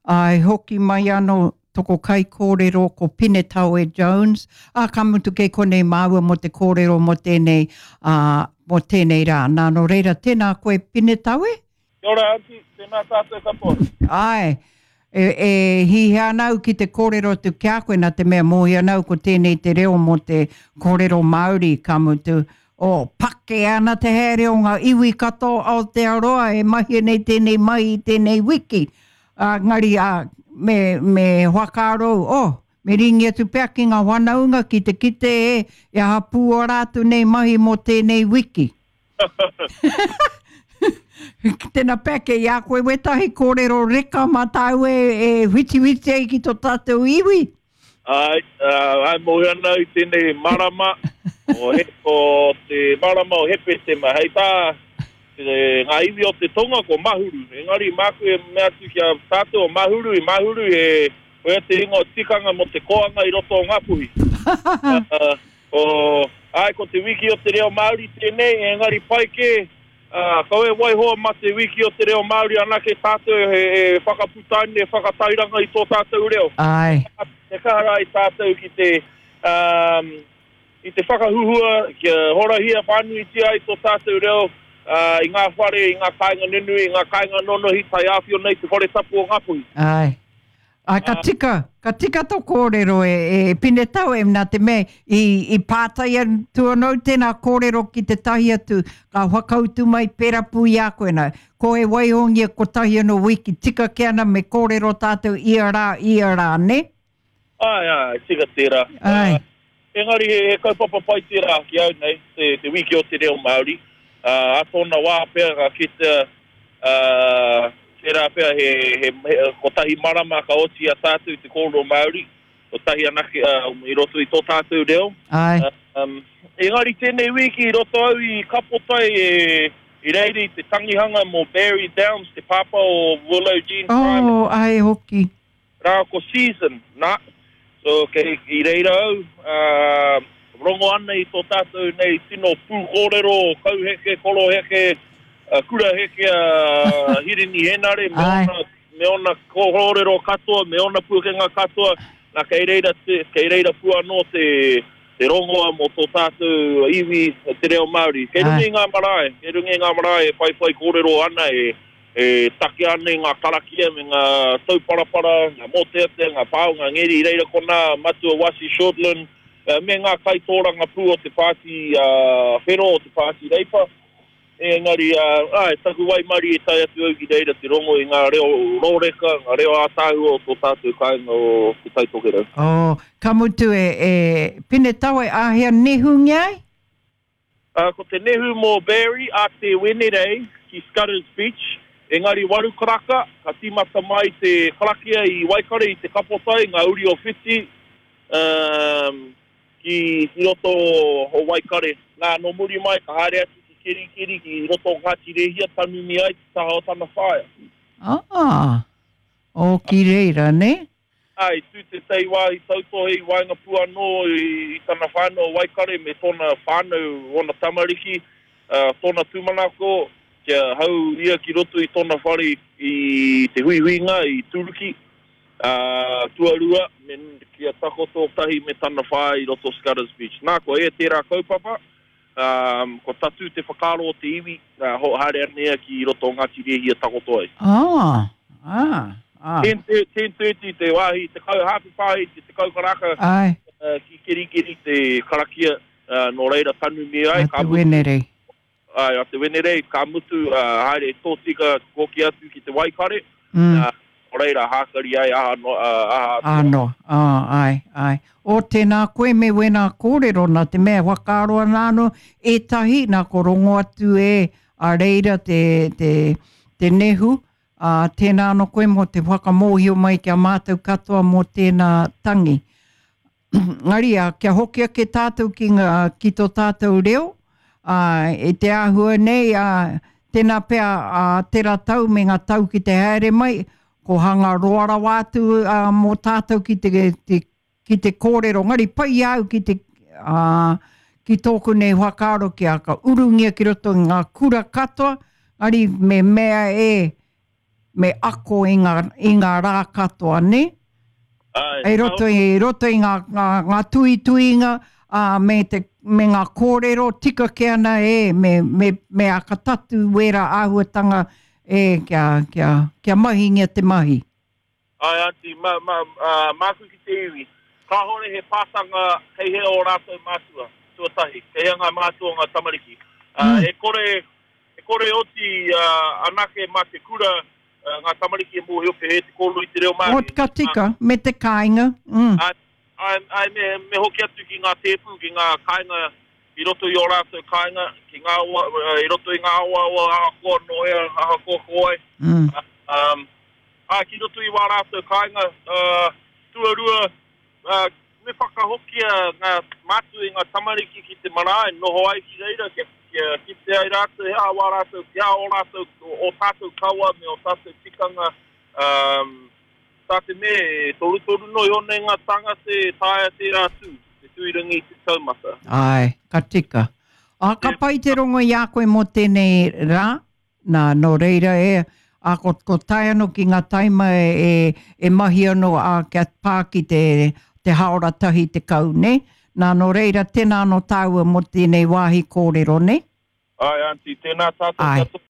Ā, e hoki mai anō toko kaikōrero ko Pinetawe Jones, ā, ka mutu kei konei māua mō te kōrero mō tēnei, ā, mō tēnei rā. Nā, nō reira, tēnā koe Pinetawe. Kia ora Aunty, tēnā tātou katoa. Āe, e, e hihia ana au ki te kōrero atu ki a koe, nā te mea mōhio ana au ko tēnei te reo mō te kōrero Māori, ka mutu, oh, pake ana te haere o ngā iwi katoa o Aotearoa e mahia nei tēnei mahi i tēnei wiki. Engari, ā, me, me whakaaro, oh, me ringi atu pea ki ngā whanaunga ki te kite e, e aha pū ō rātou nei mahi mō tēnei wiki. Tēnā pea kei a koe wētahi kōrero reka mā tāu e, e whitiwhiti ai ki tō tātou iwi. Āe, āe mōhio ana au i tēnei marama, o, he, o te marama o Hepetema. Hei tā ngā iwi o te tonga ko Mahuru. Engari māku e mea atu ki a tātou o Mahuru, i Mahuru he, koia te ingoa tikanga mō te koanga i roto o Ngāpuhi. uh, o, āe, ko te wiki o te reo Māori tēnei, engari pai kē, Ā, kaua e waiho mā te Wiki o te Reo Māori anake tātou e whakaputaina, e whakatairanga i tō tātou reo. Āe. He kaha rā i tātou ki te, ā, i te whakahuhua, kia horahia whānuitia ai tō tātou reo, ā, i ngā whare, i ngā kāinga nunui, i ngā kāinga nonohi, taiāwhio nei te whare tapu o Ngāpuhi. Āe. Ā, ka tika, ka tika tō kōrero e, e Pinetau, e, nā te mea i, i pātai atu anō tēnā kōrero ki tētahi atu, ka whakautu mai pērā pū i a koe nā. Ko e waihongia kotahi anō wiki, tika kē ana me kōrero tātou ia rā, ia rā, nē? Āe, āe, tika tērā. Āe. Engari he, he kaupapa pai tērā ki au nei, te, te wiki o te reo Māori. Ā, ā tōna wā pea ka kitea, ā, tērā pea he, he, he, kotahi marama ka oti i a tātou te kōrero Māori, kotahi anake, ā, i roto i tō tātou reo. Āe. Um, engari tēnei wiki i roto au i Kapotai e, i reira i te tangihanga mō Barry Downs, te pāpā o Willow Jean Prime. Oh, āe hoki. Rā ko Season, nā, so kei i reira au, ā, rongo ana i tō tātou nei tino pūkōrero o Kauheke, Koroheke, Kuraheke a Hirini Henare me ōna, me ōna kōrero katoa, me ōna pūkenga katoa, nā kei reira te, kei reira pū anō te, te rongoa mō tō tātou iwi, te reo Māori. Kei runga i ngā marae, kei runga i ngā marae e whaiwhai kōrero ana e, E takea ana i ngā karakia me ngā tauparapara, ngā mōteatea, ngā pao, ngā ngeri, i reira konā Matua Wasi Shortland me ngā kaitōrangapū o te Pāti Whero, o te Pāti Reipa. Engari, āe, taku waimarie i tae atu au ki reira te rongo i ngā reo rōreka, ngā reo ātaahua o tō tātou kāinga o Te Tai Tokerau. Oh, ka mutu e, e Pinetawe, āhea nehungia ai? Ā, ko te nehu mō Barry a te Wenerei ki Scudders Beach, engari waru karaka, ka tīmata mai te karakia i Waikare i Te Kapotai, ngā uri o Whiti, um, ki, ki roto o Waikare. Nā, nō muri mai ka haere atu ki Kerikeri, ki roto o Ngāti Rēhia, tanumi ai te taha o tana whaea. Ah, oh, ki reira, nē? Ā, i tū tētahi wāhi tautohe i waenga pū anō i tana whānau o Waikare me tōna whānau, ōna tamariki, ā, tōna tūmanako kia hau ia ki roto i tōna whare i te huihuinga i Turuki, ā, tuarua, me, kia takoto tahi me tana whaea i roto o Scudders Beach. Nā, kua ea tērā kaupapa, Ā, kua tatū te whakaaro o te iwi, ā, haere ana ia ki roto o Ngāti Rēhia takoto ai. Ā, ā, ā. 10.30 te wāhi, 10, hāwhe pāhi te 10 karaka, Āe. ki Kerikeri te karakia, ā, nō reira tanumi ai, ka mutu. A te Wenerei. Āe, a te Wenerei, ka mutu, ā, haere tōtika hoki atu ki te Waikare, ā, nō reira hākari ai, aha noa, ā, aha atu. Aha noa, ā, āe, āe. O, tēnā koe me wēnā kōrero, nā te mea e whakaaro ana anō ētahi, nā ko rongo atu e a reira te, te, te nehu, ā, tēnā anō koe mō te whakamōhio mai ki a mātou katoa mō tēnā tangi. Engari, ā, kia hoki ake tātou ki ngā, ki tō tātou reo, ā, i te āhua nei, ā, tēnā pea, ā, tērā tau me ngā tau ki te haere mai, ko hanga roa rawa atu, ā, mō tātou ki te, te, ki te kōrero. Engari, pai i a au ki te, ā, ki tōku nei whakaaro kia ka urungia ki roto i ngā kura katoa, engari me mea e. me ako i ngā, i ngā rā katoa, nē? Āe. I roto i, roto i ngā, ngā, ngā tuituinga, ā, me te, me ngā kōrero tika kē ana e, me, me, me ākatatu wērā āhuatanga e, kia, kia, kia mahingia te mahi. Āe, Aunty, ma, ma, ā, māku ki te iwi. Kāhore he pātanga kei hea ō rātou mātua, tuatahi, kei hea ngā mātua o ngā tamariki. Ā, e kore, e kore oti, ā, anake mā te kura, ngā tamariki e mōhio pēhea te kōrero i te reo Māori. O, ka tika, me te kāinga. Mm. Āe, āe, āe, me, me hoki atu ki ngā tēpū, ki ngā kāinga i roto i ō rātou kāinga, ki ngā awa, i roto i ngā awaawa ahakoa nō hea, ahakoa ko wai. Mm. Um, ā, ki roto i wā rātou kāinga, uh, tuarua, uh, me whakahokia ngā mātua i ngā tamariki ki te marae, noho ai ki reira, kia, kia kite ai rātou he aha wā rātou, he aha ō rātou, ō tātou kawa me ō tātou tikanga, um, tā te mea e torutoru noa iho nei ngā tāngata e taea tērā tū, te tuirangi i te taumata. Āe, ka tika. Ā, ka pai te rongo i a koe mō tēnei rā, Nā, nō reira e, ā, ko, ko tae anō ki ngā taima e, e, e mahi anō, ā, kia pā ki te, te hāora 10, nē? Nā, nō reira, tēnā anō tāua mō tēnei wāhi kōrero, nē? Āe, Aunty, tēnā tātou Āe. katoa.